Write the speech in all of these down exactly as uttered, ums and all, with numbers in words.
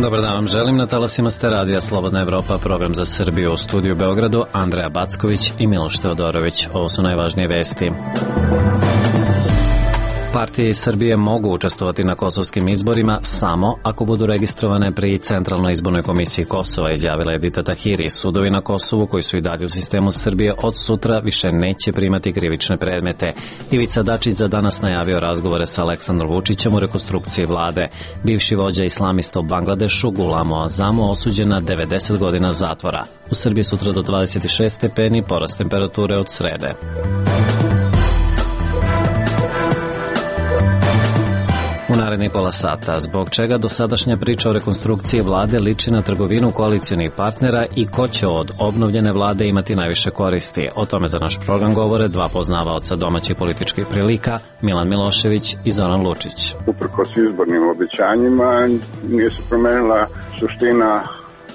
Dobar dan vam želim, na talasima ste radija Slobodna Evropa, program za Srbiju, u studiju u Beogradu, Andreja Backović i Miloš Teodorović. Ovo su najvažnije vesti. Partije iz Srbije mogu učestvovati na kosovskim izborima samo ako budu registrovane pri Centralnoj izbornoj komisiji Kosova, izjavila Edita Tahiri. Sudovi na Kosovu, koji su i dalje u sistemu Srbije, od sutra više neće primati krivične predmete. Ivica Dačić za danas najavio razgovore sa Aleksandrom Vučićem u rekonstrukciji vlade. Bivši vođa islamista u Bangladešu, Gulamo Azamu, osuđen na devedeset godina zatvora. U Srbiji sutra do dvadeset šest stepeni, porast temperature od srede. U narednih pola sata, zbog čega dosadašnja priča o rekonstrukciji vlade liči na trgovinu koalicionih partnera i ko će od obnovljene vlade imati najviše koristi. O tome za naš program govore dva poznavaoca domaćih političkih prilika, Milan Milošević i Zoran Lučić. Uprkos izbornim obećanjima nije se promenila suština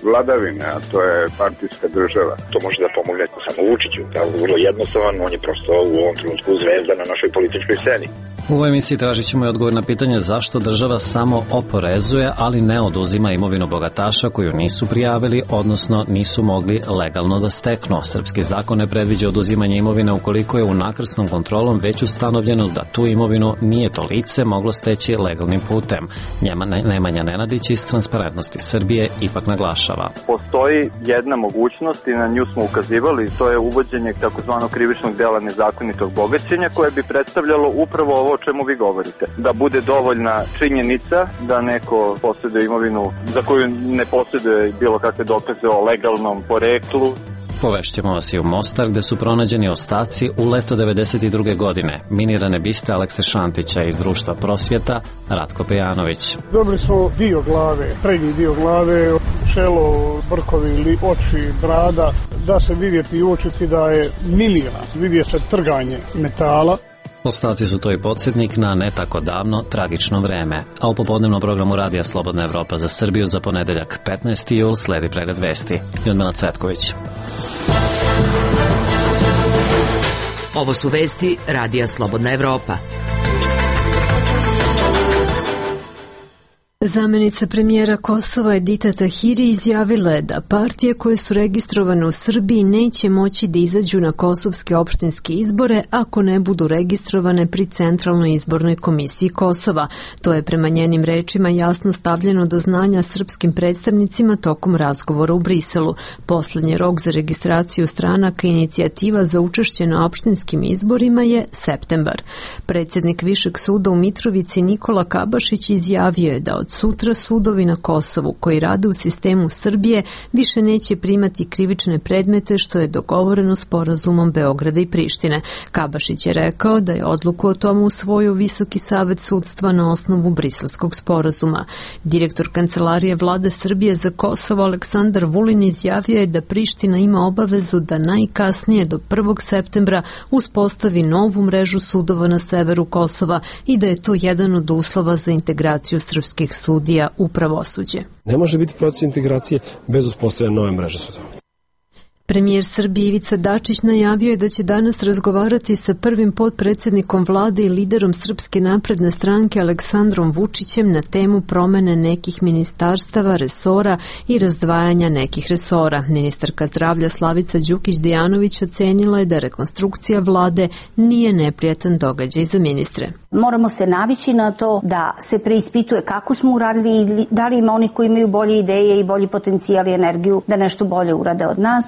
vladavine, a to je partijska država. To može da pomogne samo Vučiću, da je vrlo jednostavan, on je prosto u ovom trenutku zvezda na našoj političkoj sceni. U ovoj emisiji tražit ćemo i odgovor na pitanje zašto država samo oporezuje, ali ne oduzima imovinu bogataša koju nisu prijavili, odnosno nisu mogli legalno da steknu. Srpski zakon ne predviđa oduzimanje imovine ukoliko je unakrsnom kontrolom već ustanovljeno da tu imovinu nije to lice moglo steći legalnim putem. Njema Nemanja Nenadić iz Transparentnosti Srbije ipak naglašava. Postoji jedna mogućnost i na nju smo ukazivali, to je uvođenje takozvanog krivičnog dela nezakonitog bogaćenja koje bi predstavljalo upravo ovo o čemu vi govorite. Da bude dovoljna činjenica da neko posjeduje imovinu za koju ne posjeduje bilo kakve dokaze o legalnom poreklu. Povešćemo vas i u Mostar, gde su pronađeni ostaci u leto devedeset druge godine. Minirane biste Alekse Šantića iz društva Prosvjeta, Ratko Pejanović. Dobili smo dio glave, prednji dio glave, čelo, brkovi ili oči, brada, da se vidjeti i učiti da je minira. Vidje se trganje metala. Ostaci su to i podsjetnik na ne tako davno tragično vreme, a u popodnevnom programu Radija Slobodna Evropa za Srbiju za ponedeljak petnaesti jul sledi pregled vesti. Ljudmila Cvetković. Ovo su vesti Radija Slobodna Evropa. Zamenica premijera Kosova Edita Tahiri izjavila je da partije koje su registrovane u Srbiji neće moći da izađu na kosovske opštinske izbore ako ne budu registrovane pri Centralnoj izbornoj komisiji Kosova. To je prema njenim rečima jasno stavljeno do znanja srpskim predstavnicima tokom razgovora u Briselu. Poslednji rok za registraciju stranaka inicijativa za učešće na opštinskim izborima je septembar. Predsjednik Višeg suda u Mitrovici Nikola Kabašić izjavio je da od sutra sudovi na Kosovu koji rade u sistemu Srbije više neće primati krivične predmete što je dogovoreno sporazumom Beograda i Prištine. Kabašić je rekao da je odluku o tomu usvojio Visoki savet sudstva na osnovu Briselskog sporazuma. Direktor Kancelarije Vlade Srbije za Kosovo Aleksandar Vulin izjavio je da Priština ima obavezu da najkasnije do prvog septembra uspostavi novu mrežu sudova na severu Kosova i da je to jedan od uslova za integraciju srpskih sudija u pravosuđe. Ne može biti proces integracije bez uspostavljanja nove mreže sudova. Premijer Srbije Ivica Dačić najavio je da će danas razgovarati sa prvim potpredsjednikom vlade i liderom Srpske napredne stranke Aleksandrom Vučićem na temu promene nekih ministarstava, resora i razdvajanja nekih resora. Ministarka zdravlja Slavica Đukić-Dejanović ocenila je da rekonstrukcija vlade nije neprijatan događaj za ministre. Moramo se navići na to da se preispituje kako smo uradili i da li ima onih koji imaju bolje ideje i bolji potencijal i energiju da nešto bolje urade od nas.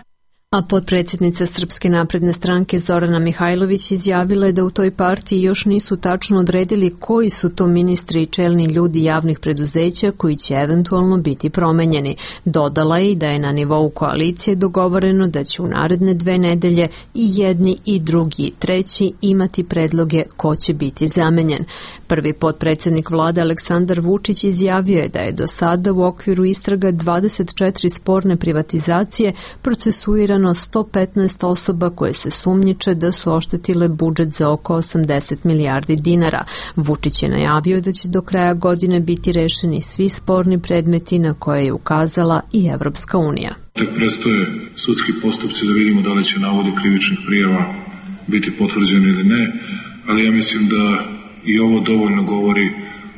A potpredsjednica Srpske napredne stranke Zorana Mihajlović izjavila je da u toj partiji još nisu tačno odredili koji su to ministri i čelni ljudi javnih preduzeća koji će eventualno biti promenjeni. Dodala je i da je na nivou koalicije dogovoreno da će u naredne dve nedelje i jedni i drugi i treći imati predloge ko će biti zamenjen. Prvi potpredsjednik vlade Aleksandar Vučić izjavio je da je do sada u okviru istraga dvadeset četiri sporne privatizacije procesuirano sto petnaest osoba koje se sumnjiče da su oštetile budžet za oko osamdeset milijardi dinara. Vučić je najavio da će do kraja godine biti rešeni svi sporni predmeti na koje je ukazala i Evropska unija. Tek predstoje sudski postupci da vidimo da li će navodi krivičnih prijava biti potvrđeni ili ne, ali ja mislim da i ovo dovoljno govori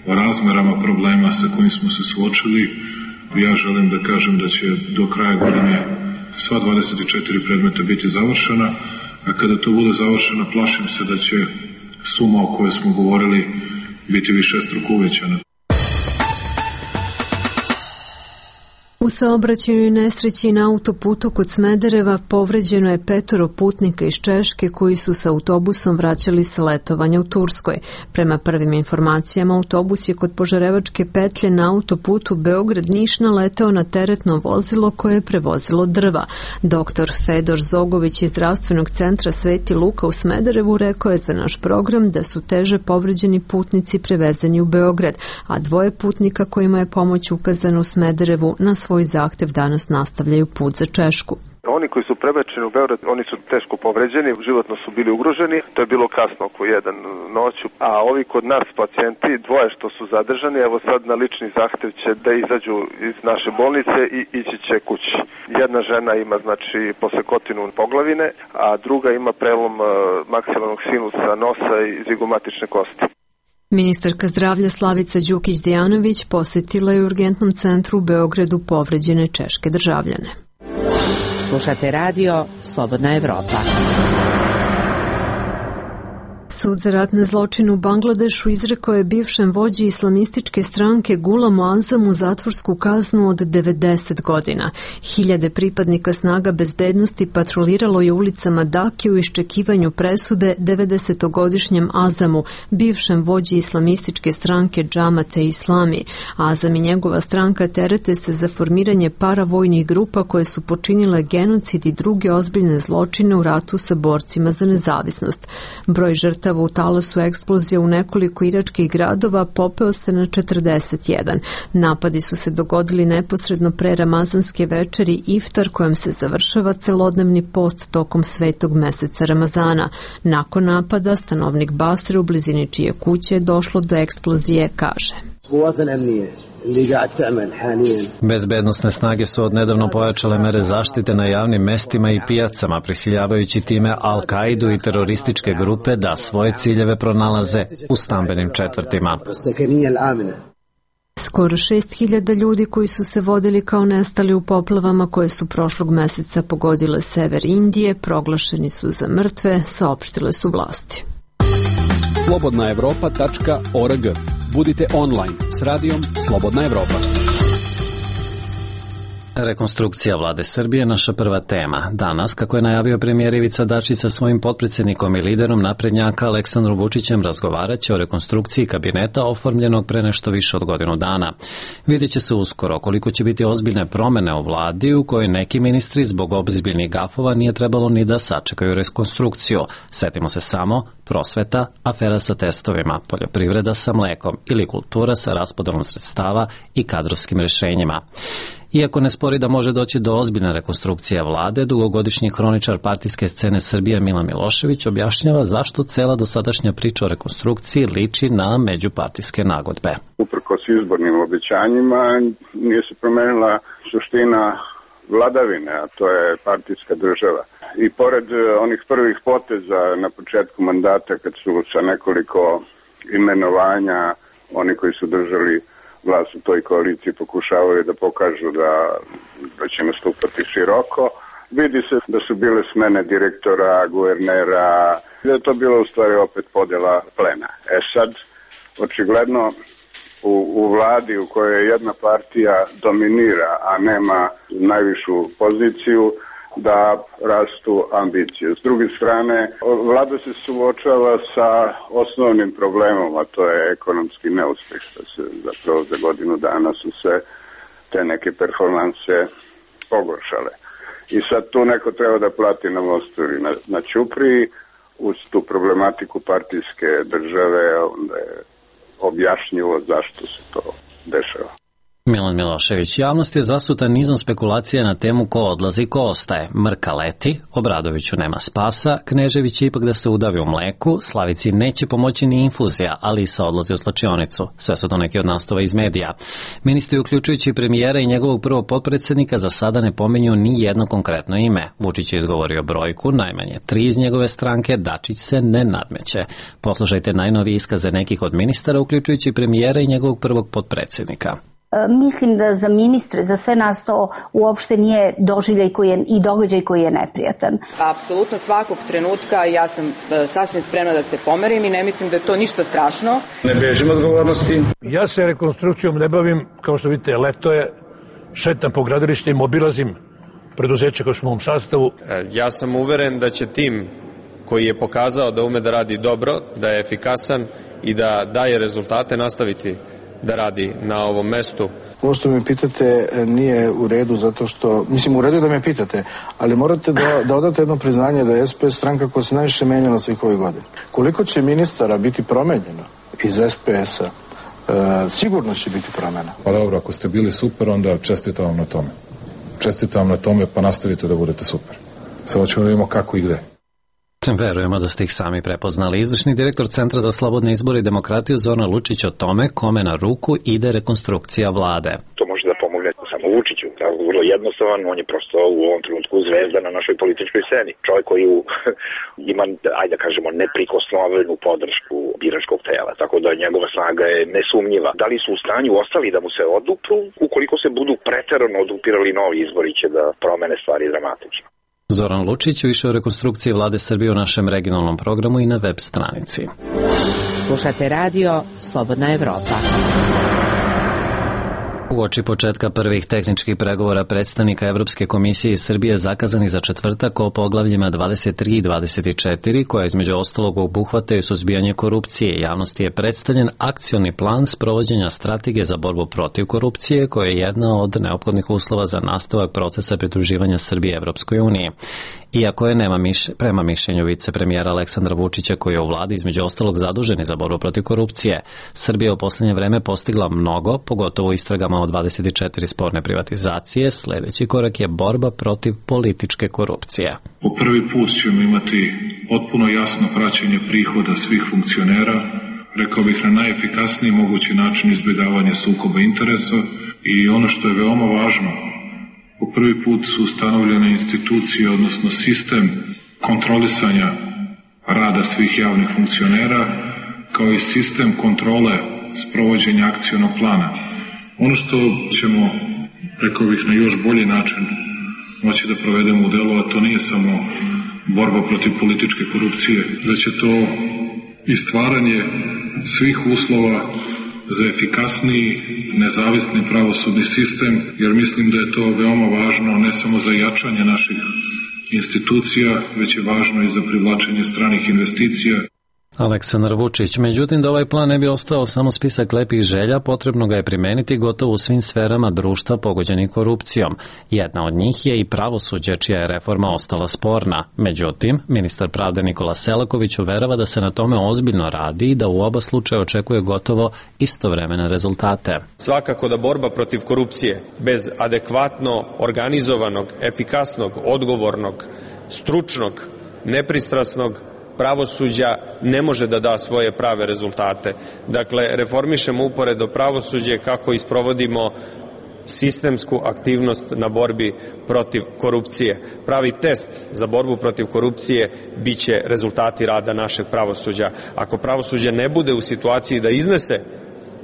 o razmerama problema sa kojim smo se suočili, Ja želim da kažem da će do kraja godine sva dvadeset četiri predmeta biti završena, a kada to bude završeno, plašim se da će suma o kojoj smo govorili biti višestruko uvećana. U saobraćajnoj nesreći na autoputu kod Smedereva povređeno je petoro putnika iz Češke koji su sa autobusom vraćali sa letovanja u Turskoj. Prema prvim informacijama, autobus je kod Požarevačke petlje na autoputu Beograd-Niš naleteo na teretno vozilo koje je prevozilo drva. Doktor Fedor Zogović iz Zdravstvenog centra Sveti Luka u Smederevu rekao je za naš program da su teže povređeni putnici prevezeni u Beograd, a dvoje putnika kojima je pomoć ukazana u Smederevu na svoj zahtev danas nastavljaju put za Češku. Oni koji su prebačeni u Beograd, oni su teško povređeni, životno su bili ugroženi, to je bilo kasno oko jedan noću, a ovi kod nas pacijenti, dvoje što su zadržani, evo sad na lični zahtev će da izađu iz naše bolnice i ići će kući. Jedna žena ima znači posekotinu poglavine, a druga ima prelom maksimalnog sinusa nosa i zigomatične kosti. Ministarka zdravlja Slavica Đukić-Dejanović posjetila je u urgentnom centru u Beogradu povređene češke državljane. Slušate radio Slobodna Evropa. Sud za ratne zločine u Bangladešu izrekao je bivšem vođi islamističke stranke Gulamu Azamu zatvorsku kaznu od devedeset godina. Hiljade pripadnika snaga bezbednosti patroliralo je ulicama Dake u iščekivanju presude devedesetogodišnjem Azamu, bivšem vođi islamističke stranke Džamate Islami. Azam i njegova stranka terete se za formiranje paravojnih grupa koje su počinile genocid i druge ozbiljne zločine u ratu sa borcima za nezavisnost. Broj žrtava u talasu eksplozija u nekoliko iračkih gradova popeo se na četrdeset jedan. Napadi su se dogodili neposredno pre ramazanske večeri iftar kojom se završava celodnevni post tokom svetog meseca Ramazana. Nakon napada, stanovnik Basre u blizini čije kuće je došlo do eksplozije, kaže. Bezbednosne snage su odnedavno pojačale mere zaštite na javnim mestima i pijacama, prisiljavajući time Al-Kaidu i terorističke grupe da svoje ciljeve pronalaze u stambenim četvrtima. Skoro šest hiljada ljudi koji su se vodili kao nestali u poplavama koje su prošlog meseca pogodile sever Indije proglašeni su za mrtve, saopštile su vlasti. slobodna evropa tačka org. Budite online s radijom Slobodna Evropa. Rekonstrukcija vlade Srbije naša prva tema. Danas, kako je najavio premijer Ivica Dačić sa svojim potpredsjednikom i liderom naprednjaka Aleksandrom Vučićem, razgovarat će o rekonstrukciji kabineta oformljenog pre nešto više od godinu dana. Vidjet će se uskoro koliko će biti ozbiljne promene u vladi u kojoj neki ministri zbog ozbiljnih gafova nije trebalo ni da sačekaju rekonstrukciju. Setimo se samo prosveta, afera sa testovima, poljoprivreda sa mlekom ili kultura sa raspodelom sredstava i kadrovskim rešenjima. Iako ne spori da može doći do ozbiljne rekonstrukcije vlade, dugogodišnji hroničar partijske scene Srbije Milan Milošević objašnjava zašto cela dosadašnja priča o rekonstrukciji liči na međupartijske nagodbe. Uprkos izbornim obećanjima nije se promenila suština vladavine, a to je partijska država. I pored onih prvih poteza na početku mandata kad su sa nekoliko imenovanja oni koji su držali vlast u toj koaliciji pokušavaju da pokažu da, da će nastupati široko. Vidi se da su bile smene direktora, guvernera, da je to bilo u stvari opet podela plena. E sad, očigledno u, u vladi u kojoj jedna partija dominira, a nema najvišu poziciju, da rastu ambicije. S druge strane, vlada se suočava sa osnovnim problemom, a to je ekonomski neuspeh, što se zapravo za godinu dana su se te neke performanse pogoršale. I sad tu neko treba da plati na mostu ili na, na ćupriji, uz tu problematiku partijske države, onda je objašnjivo zašto se to dešava. Milan Milošević, javnost je zasuta nizom spekulacija na temu ko odlazi, ko ostaje. Mrka leti, Obradoviću nema spasa, Knežević će ipak da se udavi u mleku, Slavici neće pomoći ni infuzija, ali i sa odlazi u slačionicu. Sve su to neki od nastava iz medija. Ministri, uključujući premijera i njegovog prvog potpredsjednika, za sada ne pominju ni jedno konkretno ime. Vučić je izgovorio brojku, najmanje tri iz njegove stranke, Dačić se ne nadmeće. Poslušajte najnovije iskaze nekih od ministara, uključujući premijera i njegovog prvog potpredsjednika. Mislim da za ministre, za sve nas to uopšte nije doživljaj koji je, i događaj koji je neprijatan. Apsolutno svakog trenutka ja sam sasvim spremna da se pomerim i ne mislim da je to ništa strašno. Ne bežim odgovornosti. Ja se rekonstrukcijom ne bavim, kao što vidite, leto je, šetam po gradilištima, obilazim preduzeće koje smo u ovom sastavu. Ja sam uveren da će tim koji je pokazao da ume da radi dobro, da je efikasan i da daje rezultate nastaviti da radi na ovom mestu. Ovo što me pitate nije u redu zato što, mislim u redu je da me pitate, ali morate da, da odate jedno priznanje da je S P S stranka koja se najviše menjala svih ovih godina. Koliko će ministara biti promenjeno iz S P S-a, e, sigurno će biti promena. Pa dobro, ako ste bili super, onda čestitam vam na tome. Čestitam vam na tome, pa nastavite da budete super. Samo ćemo da vidimo kako i gde. Verujemo da ste ih sami prepoznali. Izvršni direktor Centra za slobodne izbore i demokratiju Zoran Lučić o tome kome na ruku ide rekonstrukcija vlade. To može da pomogne samo Vučiću. Vrlo jednostavan, on je prosto u ovom trenutku zvezda na našoj političkoj sceni. Čovjek koji ima, ajde da kažemo, neprikosnovenu podršku biračkog tela, tako da njegova snaga je nesumnjiva. Da li su u stanju ostali da mu se odupru? Ukoliko se budu preterano odupirali novi izbori će da promene stvari dramatično. Zoran Lučić više o rekonstrukciji vlade Srbije u našem regionalnom programu i na web stranici. Slušate radio Slobodna Evropa. Uoči početka prvih tehničkih pregovora predstavnika Evropske komisije iz Srbije zakazani za četvrtak o poglavljima dvadeset tri i dvadeset četiri, koja između ostalog obuhvataju suzbijanje korupcije. Javnosti je predstavljen akcioni plan sprovođenja strategije za borbu protiv korupcije, koja je jedna od neophodnih uslova za nastavak procesa pridruživanja Srbije Evropskoj uniji. Iako je nema miš, prema mišljenju vicepremijera Aleksandra Vučića, koji je u vladi između ostalog zaduženi za borbu protiv korupcije, Srbija u poslednje vreme postigla mnogo, pogotovo u istragama o dvadeset četiri sporne privatizacije. Sledeći korak je borba protiv političke korupcije. Po prvi put ćemo imati potpuno jasno praćenje prihoda svih funkcionera, rekao bih na najefikasniji mogući način izbjegavanja sukoba interesa i ono što je veoma važno, po prvi put su ustanovljene institucije, odnosno sistem kontrolisanja rada svih javnih funkcionera, kao i sistem kontrole sprovođenja akcionog plana. Ono što ćemo, rekao bih, na još bolji način moći da provedemo u delu, a to nije samo borba protiv političke korupcije, da će to i stvaranje svih uslova za efikasniji, nezavisni pravosudni sistem, jer mislim da je to veoma važno ne samo za jačanje naših institucija, već je važno i za privlačenje stranih investicija. Aleksandar Vučić. Međutim, da ovaj plan ne bi ostao samo spisak lepih želja, potrebno ga je primeniti gotovo u svim sferama društva pogođenih korupcijom. Jedna od njih je i pravosuđe, čija je reforma ostala sporna. Međutim, ministar pravde Nikola Selaković uverava da se na tome ozbiljno radi i da u oba slučaja očekuje gotovo istovremene rezultate. Svakako da borba protiv korupcije bez adekvatno organizovanog, efikasnog, odgovornog, stručnog, nepristrasnog pravosuđa ne može da da svoje prave rezultate. Dakle, reformišemo uporedo pravosuđe kako isprovodimo sistemsku aktivnost na borbi protiv korupcije. Pravi test za borbu protiv korupcije biće rezultati rada našeg pravosuđa. Ako pravosuđe ne bude u situaciji da iznese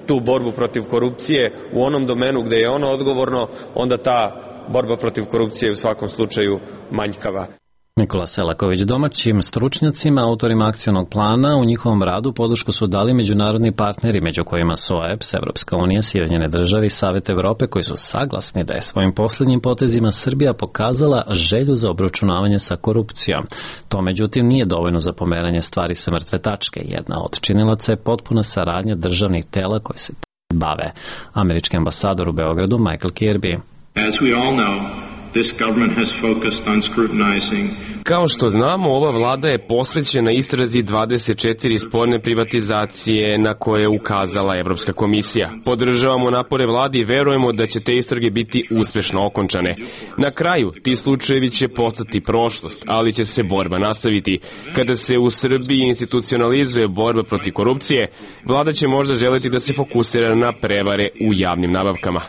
tu borbu protiv korupcije u onom domenu gde je ono odgovorno, onda ta borba protiv korupcije je u svakom slučaju manjkava. Nikola Selaković. Domaćim stručnjacima, autorima akcionog plana, u njihovom radu podršku su dali međunarodni partneri, među kojima su O E B S, Evropska unija, Sjedinjene države i Savet Evrope, koji su saglasni da je svojim posljednjim potezima Srbija pokazala želju za obračunavanje sa korupcijom. To, međutim, nije dovoljno za pomeranje stvari sa mrtve tačke. Jedna od činilaca je potpuna saradnja državnih tela koje se bave. Američki ambasador u Beogradu Michael Kirby. As we all know, this government has focused on scrutinizing. Kao što znamo, ova vlada je posvećena istrazi dvadeset četiri sporne privatizacije na koje je ukazala Evropska komisija. Podržavamo napore vlade i verujemo da će te istrage biti uspešno okončane. Na kraju, ti slučajevi će postati prošlost, ali će se borba nastaviti. Kada se u Srbiji institucionalizuje borba protiv korupcije, vlada će možda želeti da se fokusira na prevare u javnim nabavkama.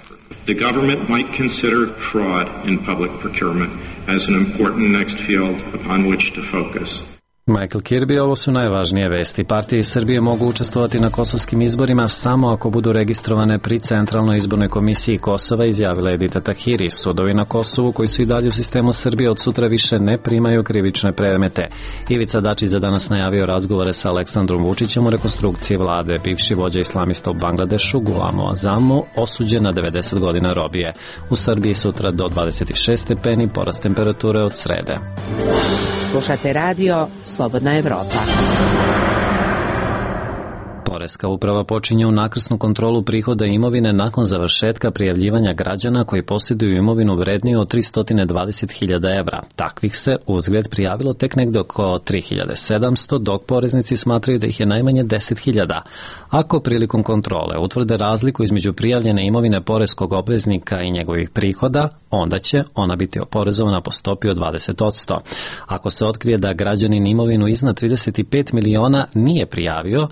The government might consider fraud in public procurement as an important next field upon which to focus. Michael Kirby, ovo su najvažnije vesti. Partije iz Srbije mogu učestvovati na kosovskim izborima samo ako budu registrovane pri Centralnoj izbornoj komisiji Kosova, izjavila je Edita Tahiri. Sudovi na Kosovu koji su i dalje u sistemu Srbije od sutra više ne primaju krivične predmete. Ivica Dačić za danas najavio razgovore sa Aleksandrom Vučićem u rekonstrukciji vlade. Bivši vođa islamista u Bangladešu, Gulam Azamu, osuđen na devedeset godina robije. U Srbiji sutra do dvadeset šest stepeni, porast temperature od srede. Slušate radio Slobodna Evropa. Poreska uprava počinje unakrsnu kontrolu prihoda i imovine nakon završetka prijavljivanja građana koji posjeduju imovinu vredniju od tristo dvadeset hiljada evra. Takvih se uzgled prijavilo tek negde oko tri hiljade sedamsto, dok poreznici smatraju da ih je najmanje deset hiljada. Ako prilikom kontrole utvrde razliku između prijavljene imovine poreskog obveznika i njegovih prihoda, onda će ona biti oporezovana po stopi od dvadeset posto. Ako se otkrije da građanin imovinu iznad trideset pet miliona nije prijavio,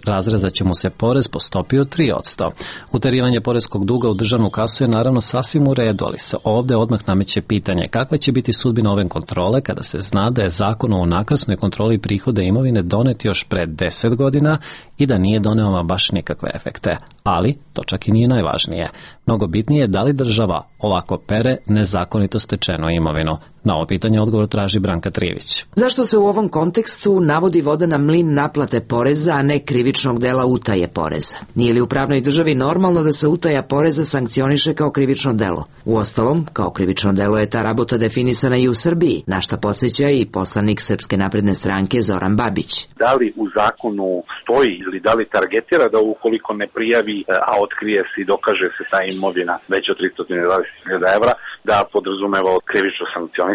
razrezat će mu se porez po stopi od tri posto. Uterivanje poreskog duga u državnu kasu je naravno sasvim u redu, ali se ovde odmah nameće pitanje kakva će biti sudbina ove kontrole kada se zna da je zakon o unakrsnoj kontroli prihoda imovine donet još pre deset godina i da nije doneo baš nikakve efekte. Ali to čak i nije najvažnije. Mnogo bitnije je da li država ovako pere nezakonito stečenu imovinu. Na ovo pitanje odgovor traži Branka Trivić. Zašto se u ovom kontekstu navodi voda na mlin naplate poreza, a ne krivičnog dela utaje poreza? Nije li u pravnoj državi normalno da se utaja poreza sankcioniše kao krivično delo? Uostalom, kao krivično delo je ta rabota definisana i u Srbiji, na šta podsjeća i poslanik Srpske napredne stranke Zoran Babić. Da li u zakonu stoji ili da li targetira da ukoliko ne prijavi, a otkrije se i dokaže se ta imovina već od tristo dvadeset hiljada evra, da podrazumeva krivično sankcionisanje?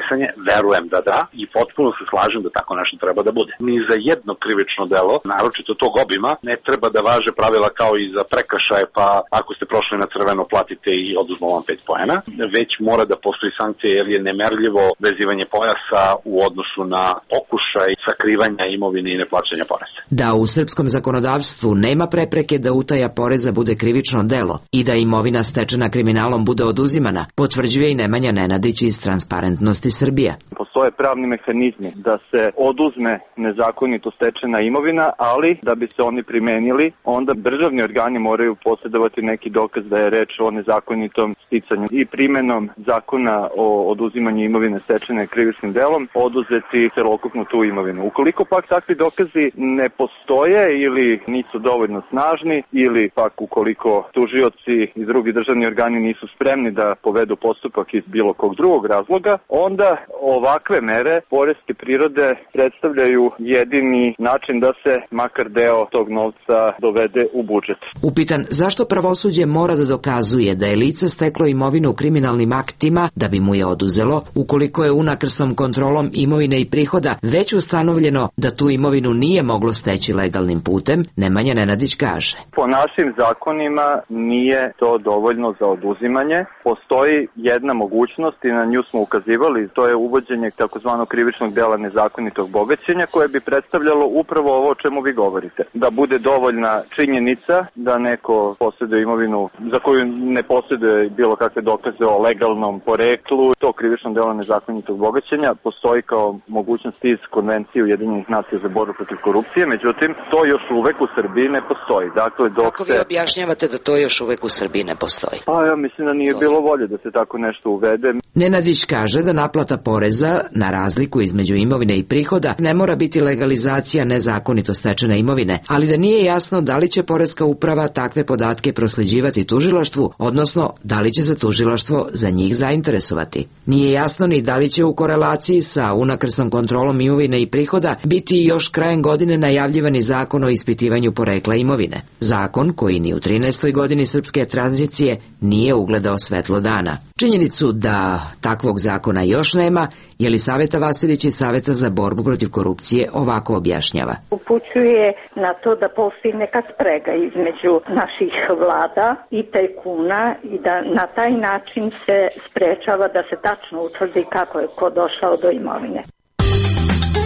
Verujem da da i potpuno se slažem da tako nešto treba da bude. Ni za jedno krivično delo, naročito tog obima, ne treba da važe pravila kao i za prekršaje, pa ako ste prošli na crveno platite i oduzmo vam pet poena, već mora da postoji sankcija jer je nemerljivo vezivanje pojasa u odnosu na pokušaj sakrivanja imovine i neplaćanja poreza. Da u srpskom zakonodavstvu nema prepreke da utaja poreza bude krivično delo i da imovina stečena kriminalom bude oduzimana, potvrđuje i Nemanja Nenadić iz Transparentnosti Srbije. Postoje pravni mehanizmi da se oduzme nezakonito stečena imovina, ali da bi se oni primenili, onda državni organi moraju posjedovati neki dokaz da je reč o nezakonitom sticanju i primenom zakona o oduzimanju imovine stečene krivičnim delom oduzeti celokupnu tu imovinu. Ukoliko pak takvi dokazi ne postoje ili nisu dovoljno snažni ili pak ukoliko tužioci i drugi državni organi nisu spremni da povedu postupak iz bilo kog drugog razloga, onda ovakve mere poreske prirode predstavljaju jedini način da se makar deo tog novca dovede u budžet. Upitan zašto pravosuđe mora da dokazuje da je lice steklo imovinu kriminalnim aktima da bi mu je oduzelo, ukoliko je unakrsnom kontrolom imovine i prihoda već ustanovljeno da tu imovinu nije moglo steći legalnim putem, Nemanja Nenadić kaže. Po našim zakonima nije to dovoljno za oduzimanje. Postoji jedna mogućnost i na nju smo ukazivali, to je uvođenje takozvanog krivičnog dela nezakonitog bogaćenja koje bi predstavljalo upravo ovo o čemu vi govorite. Da bude dovoljna činjenica da neko posjeduje imovinu za koju ne posjeduje bilo kakve dokaze o legalnom poreklu. To krivično delo nezakonitog bogaćenja postoji kao mogućnost iz Konvencije Ujedinjenih nacija za borbu protiv korupcije, međutim to još uvek u Srbiji ne postoji. Dakle, dok Kako vi objašnjavate da to još uvek u Srbiji ne postoji? Pa ja mislim da nije bilo volje da se tako nešto uvede. Nenadić kaže da naplata poreza na razliku između imovine i prihoda ne mora biti legalizacija nezakonito stečene imovine, ali da nije jasno da li će poreska uprava takve podatke prosleđivati tužilaštvu, odnosno da li će se tužilaštvo za njih zainteresovati. Nije jasno ni da li će u korelaciji sa unakrsnom kontrolom imovine i prihoda biti još krajem godine najavljivani zakon o ispitivanju porekla imovine. Zakon koji ni u trinaestoj godini srpske tranzicije nije ugledao svetlo dana. Činjenicu da takvog zakona još nema, Jelisaveta Vasilić iz Saveta za borbu protiv korupcije ovako objašnjava. Upućuje na to da postoji neka sprega između naših vlada i tajkuna i da na taj način se sprečava da se tačno utvrdi kako je ko došao do imovine.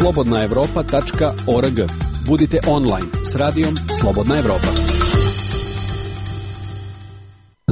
slobodna evropa tačka org. Budite online s radijom Slobodna Evropa.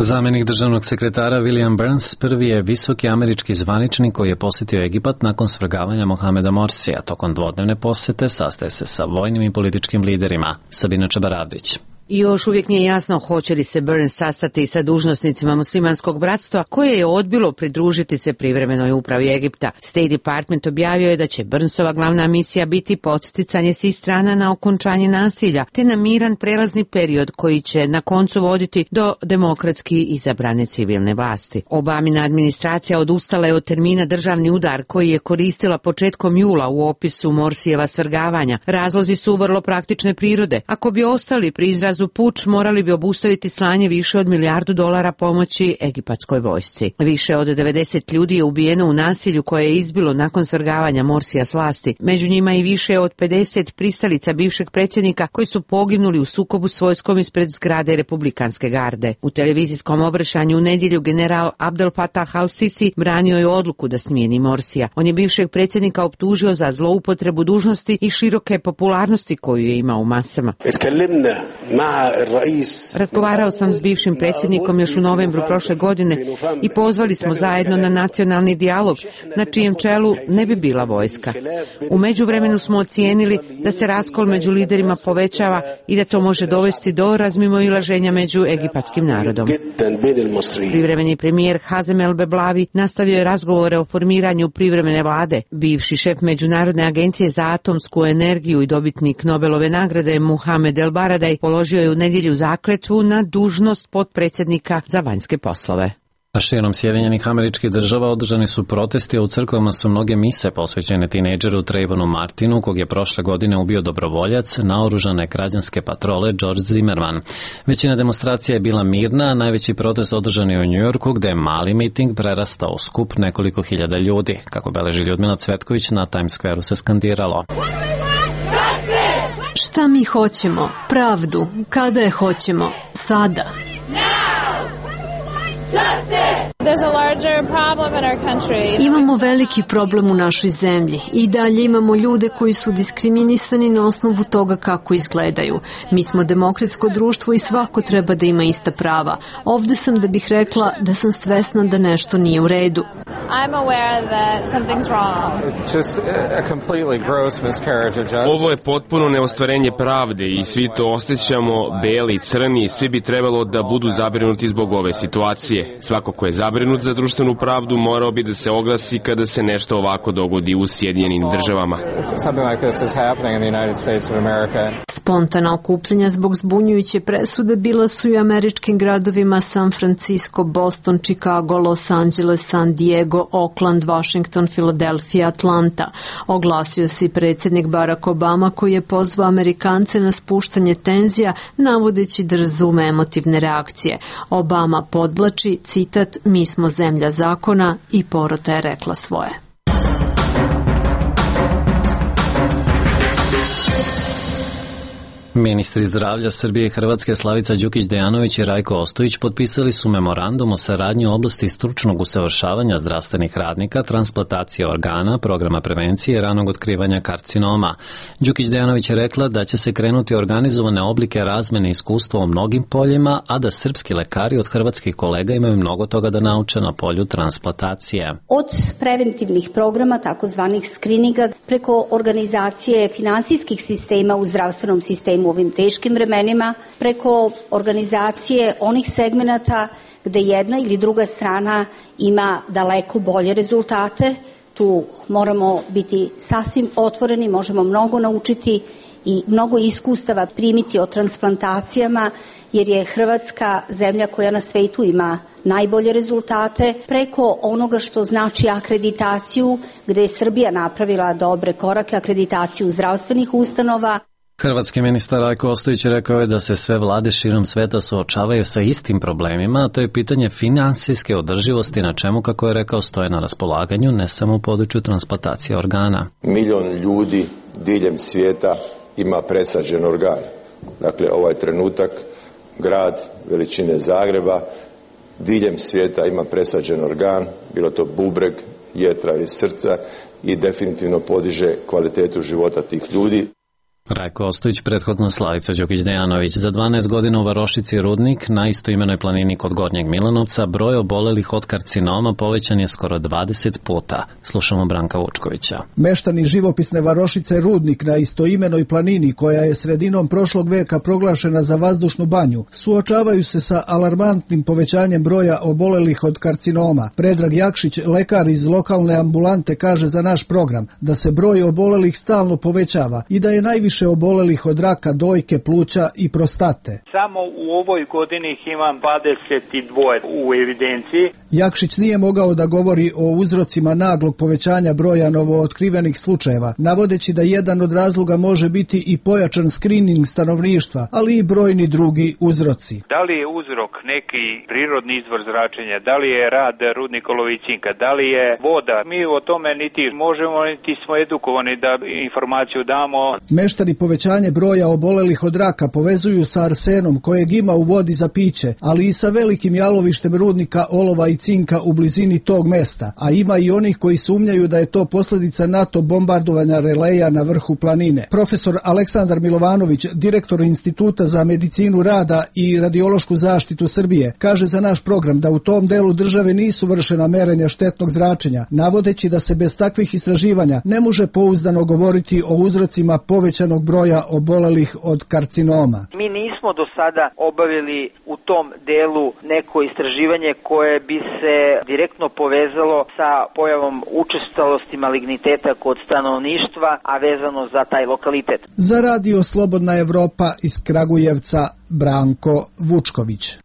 Zamenik državnog sekretara William Burns prvi je visoki američki zvaničnik koji je posjetio Egipat nakon svrgavanja Mohameda Morsija. Tokom dvodnevne posete sastaje se sa vojnim i političkim liderima. Sabina Čabaravdić. I još uvijek nije jasno hoće li se Burns sastati sa dužnosnicima muslimanskog bratstva koje je odbilo pridružiti se privremenoj upravi Egipta. State Department objavio je da će Burnsova glavna misija biti podsticanje svih strana na okončanje nasilja te na miran prelazni period koji će na koncu voditi do demokratski izabrane civilne vlasti. Obamina administracija odustala je od termina državni udar koji je koristila početkom jula u opisu Morsijeva svrgavanja. Razlozi su vrlo praktične prirode. Ako bi ostali pri izrazu puč, morali bi obustaviti slanje više od milijardu dolara pomoći egipatskoj vojsci. Više od devedeset ljudi je ubijeno u nasilju koje je izbilo nakon svrgavanja Morsija s vlasti. Među njima i više od pedeset pristalica bivšeg predsjednika koji su poginuli u sukobu s vojskom ispred zgrade Republikanske garde. U televizijskom obraćanju u nedjelju general Abdel Fattah al-Sisi branio je odluku da smijeni Morsija. On je bivšeg predsjednika optužio za zloupotrebu dužnosti i široke popularnosti koju je imao u masama. Razgovarao sam s bivšim predsjednikom još u novembru prošle godine i pozvali smo zajedno na nacionalni dijalog na čijem čelu ne bi bila vojska. U međuvremenu smo ocijenili da se raskol među liderima povećava i da to može dovesti do razmimoilaženja među egipatskim narodom. Privremeni premijer Hazem El Beblavi nastavio je razgovore o formiranju privremene vlade. Bivši šef Međunarodne agencije za atomsku energiju i dobitnik Nobelove nagrade Muhamed El Baradaj položio je u nedjelju zakletvu na dužnost potpredsjednika za vanjske poslove. A širom Sjedinjenih Američkih Država održani su protesti, a u crkvama su mnoge mise posvećene tinejdžeru Trayvonu Martinu, kog je prošle godine ubio dobrovoljac naoružane građanske patrole George Zimmerman. Većina demonstracija je bila mirna, a najveći protest održan je u Njujorku, gde je mali miting prerastao u skup nekoliko hiljada ljudi. Kako beleži Ljudmila Cvetković, na Times Square-u se skandiralo: šta mi hoćemo? Pravdu. Kada je hoćemo? Sada. Imamo veliki problem u našoj zemlji i dalje imamo ljude koji su diskriminisani na osnovu toga kako izgledaju. Mi smo demokratsko društvo i svako treba da ima ista prava. Ovde sam da bih rekla da sam svesna da nešto nije u redu. Ovo je potpuno neostvarenje pravde i svi to osjećamo, beli i crni, svi bi trebalo da budu zabrinuti zbog ove situacije. Svako ko je zabrinut za društvenu pravdu morao bi da se oglasi kada se nešto ovako dogodi u Sjedinjenim Državama. Spontana okupljanja zbog zbunjujuće presude bila su i u američkim gradovima San Francisco, Boston, Chicago, Los Angeles, San Diego, Oakland, Washington, Filadelfija, Atlanta. Oglasio se i predsjednik Barack Obama koji je pozvao Amerikance na spuštanje tenzija navodeći da razume emotivne reakcije. Obama podvlači, citat, mi smo zemlja zakona i porota je rekla svoje. Ministri zdravlja Srbije i Hrvatske Slavica Đukić-Dejanović i Rajko Ostojić potpisali su memorandum o saradnji u oblasti stručnog usavršavanja zdravstvenih radnika, transplantacije organa, programa prevencije i ranog otkrivanja karcinoma. Đukić-Dejanović je rekla da će se krenuti organizovane oblike razmene iskustva u mnogim poljima, a da srpski lekari od hrvatskih kolega imaju mnogo toga da nauče na polju transplantacije. Od preventivnih programa, takozvanih skrininga, preko organizacije finansijskih sistema u zdravstvenom sistemu u ovim teškim vremenima, preko organizacije onih segmenata gde jedna ili druga strana ima daleko bolje rezultate. Tu moramo biti sasvim otvoreni, možemo mnogo naučiti i mnogo iskustava primiti o transplantacijama, jer je Hrvatska zemlja koja na svetu ima najbolje rezultate, preko onoga što znači akreditaciju, gde je Srbija napravila dobre korake, akreditaciju zdravstvenih ustanova. Hrvatski ministar Rajko Ostojić rekao je da se sve vlade širom sveta suočavaju sa istim problemima, a to je pitanje finansijske održivosti, na čemu, kako je rekao, stoje na raspolaganju ne samo u području transplantacije organa. Milion ljudi diljem svijeta ima presađen organ. Dakle, ovaj trenutak grad veličine Zagreba diljem svijeta ima presađen organ, bilo to bubreg, jetra ili srca, i definitivno podiže kvalitetu života tih ljudi. Rajko Ostojić, prethodno Slavica Đukić-Dejanović. Za dvanaest godina u Varošici Rudnik, na istoimenoj planini kod Gornjeg Milanovca, broj obolelih od karcinoma povećan je skoro dvadeset puta. Slušamo Branka Vučkovića. Meštani živopisne Varošice Rudnik na istoimenoj planini, koja je sredinom prošlog veka proglašena za vazdušnu banju, suočavaju se sa alarmantnim povećanjem broja obolelih od karcinoma. Predrag Jakšić, lekar iz lokalne ambulante, kaže za naš program da se broj obolelih stalno povećava i da je najviše obolelih od raka dojke, pluća i prostate. Samo u ovoj godini ih imam dvadeset dva u evidenciji. Jakšić nije mogao da govori o uzrocima naglog povećanja broja novootkrivenih slučajeva, navodeći da jedan od razloga može biti i pojačan skrining stanovništva, ali i brojni drugi uzroci. Da li je uzrok neki prirodni izvor zračenja, da li je rad rudnikolova i cinka, da li je voda, mi o tome niti možemo, niti smo edukovani da informaciju damo. Meštani povećanje broja obolelih od raka povezuju sa arsenom kojeg ima u vodi za piće, ali i sa velikim jalovištem rudnika olova i cinka u blizini tog mesta, a ima i onih koji sumnjaju da je to posljedica NATO bombardovanja releja na vrhu planine. Profesor Aleksandar Milovanović, direktor Instituta za medicinu rada i radiološku zaštitu Srbije, kaže za naš program da u tom delu države nisu vršena merenja štetnog zračenja, navodeći da se bez takvih istraživanja ne može pouzdano govoriti o uzrocima povećanog broja obolelih od karcinoma. Mi nismo do sada obavili u tom delu neko istraživanje koje bi se direktno povezalo sa pojavom učestalosti maligniteta kod stanovništva, a vezano za taj lokalitet. Za radio Slobodna Evropa iz Kragujevca, Branko Vučković.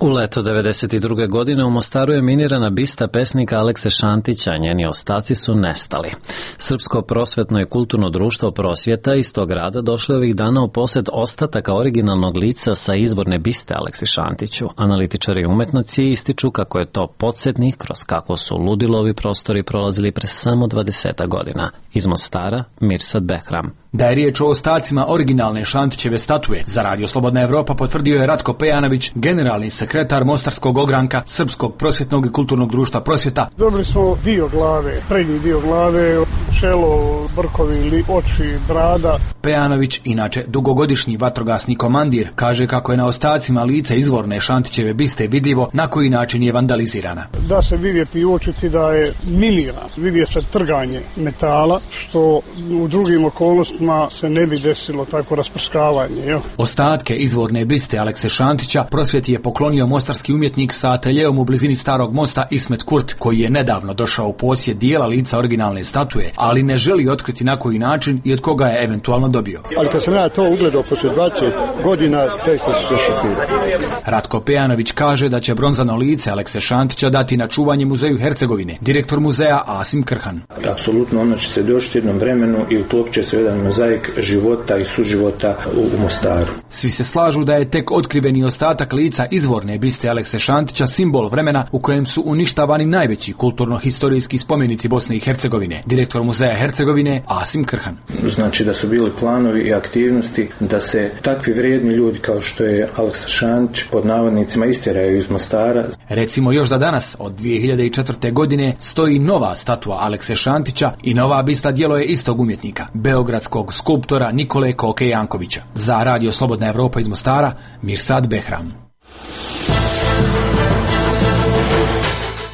U leto devedeset druge. godine u Mostaru je minirana bista pesnika Alekse Šantića, njeni ostaci su nestali. Srpsko prosvetno i kulturno društvo Prosvjeta iz tog grada došlo ovih dana u posjed ostataka originalnog lica sa izborne biste Aleksi Šantiću. Analitičari umetnici ističu kako je to podsjetnik kroz kako su ludilo ovi prostori prolazili pre samo dvadeset godina. Iz Mostara, Mirsad Behram. Da je riječ o ostacima originalne Šantićeve statue, za Radio Slobodna Evropa potvrdio je Ratko Pejanović, generalni sekretar Mostarskog ogranka Srpskog prosvjetnog i kulturnog društva Prosvjeta. Dobili smo dio glave, prednji dio glave, čelo, brkovi, oči, brada. Pejanović, inače dugogodišnji vatrogasni komandir, kaže kako je na ostacima lica izvorne Šantićeve biste vidljivo na koji način je vandalizirana. Da se vidjeti i uočiti da je miniran, vidje se trganje metala, što u drugim okolnostima se ne bi desilo tako rasprskavanje. Jo? Ostatke izvorne biste Alekse Šantića Prosvjeti je poklonio mostarski umjetnik sa ateljeom u blizini Starog mosta Ismet Kurt, koji je nedavno došao u posjed dijela lica originalne statue, ali ne želi otkriti na koji način i od koga je eventualno dobio. Ali kad sam ja to ugledao poslije dvadeset godina, teško se šokirao. Ratko Pejanović kaže da će bronzano lice Alekse Šantića dati na čuvanje Muzeju Hercegovine. Direktor muzeja Asim Krhan. Apsolutno ono će se došti jednom vremenu i uklopit će se jedan mozaik života i suživota u Mostaru. Svi se slažu da je tek otkriveni ostatak lica izvorne biste Alekse Šantića simbol vremena u kojem su uništavani najveći kulturno-historijski spomenici Bosne i Hercegovine. Direktor muzeja Hercegovine Asim Krhan. Znači da su bili planovi i aktivnosti da se takvi vrijedni ljudi kao što je Aleksa Šantić pod navodnicima istjeraju iz Mostara. Recimo još da danas od dvije hiljade četvrte. godine stoji nova statua Alekse Šantića i nova bista djelo je istog umjetnika, beogradskog skulptora Nikole Koke Jankovića. Za Radio Slobodna Evropa iz Mostara, Mirsad Behram.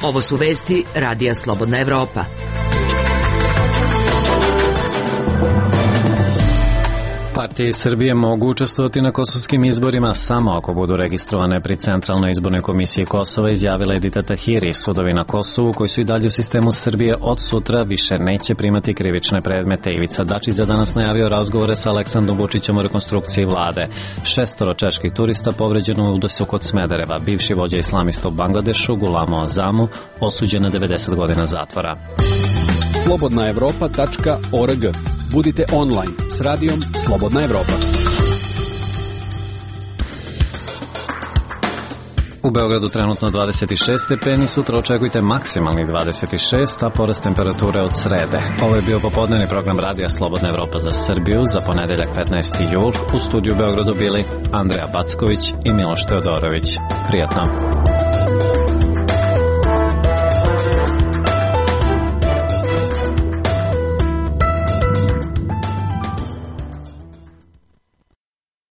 Ovo su vesti Radija Slobodna Evropa. Partije iz Srbije mogu učestvovati na kosovskim izborima samo ako budu registrovane pri Centralnoj izbornoj komisiji Kosova, izjavila Edita Tahiri. Sudovi na Kosovu, koji su i dalje u sistemu Srbije, od sutra više neće primati krivične predmete. Ivica Dačić za danas najavio razgovore sa Aleksandrom Vučićem o rekonstrukciji vlade. Šestoro čeških turista povređeno u udasu kod Smedereva. Bivši vođa islamista u Bangladešu, Gulamo Azamu, osuđen na devedeset godina zatvora. slobodna evropa tačka org. Budite online s radijom Slobodna Evropa. U Beogradu trenutno dvadeset šest stepeni, sutra očekujte maksimalni dvadeset šest, a porast temperature od srede. Ovo je bio popodnevni program Radija Slobodna Evropa za Srbiju za ponedeljak petnaesti jul. U studiju u Beogradu bili Andreja Backović i Miloš Teodorović. Prijatno.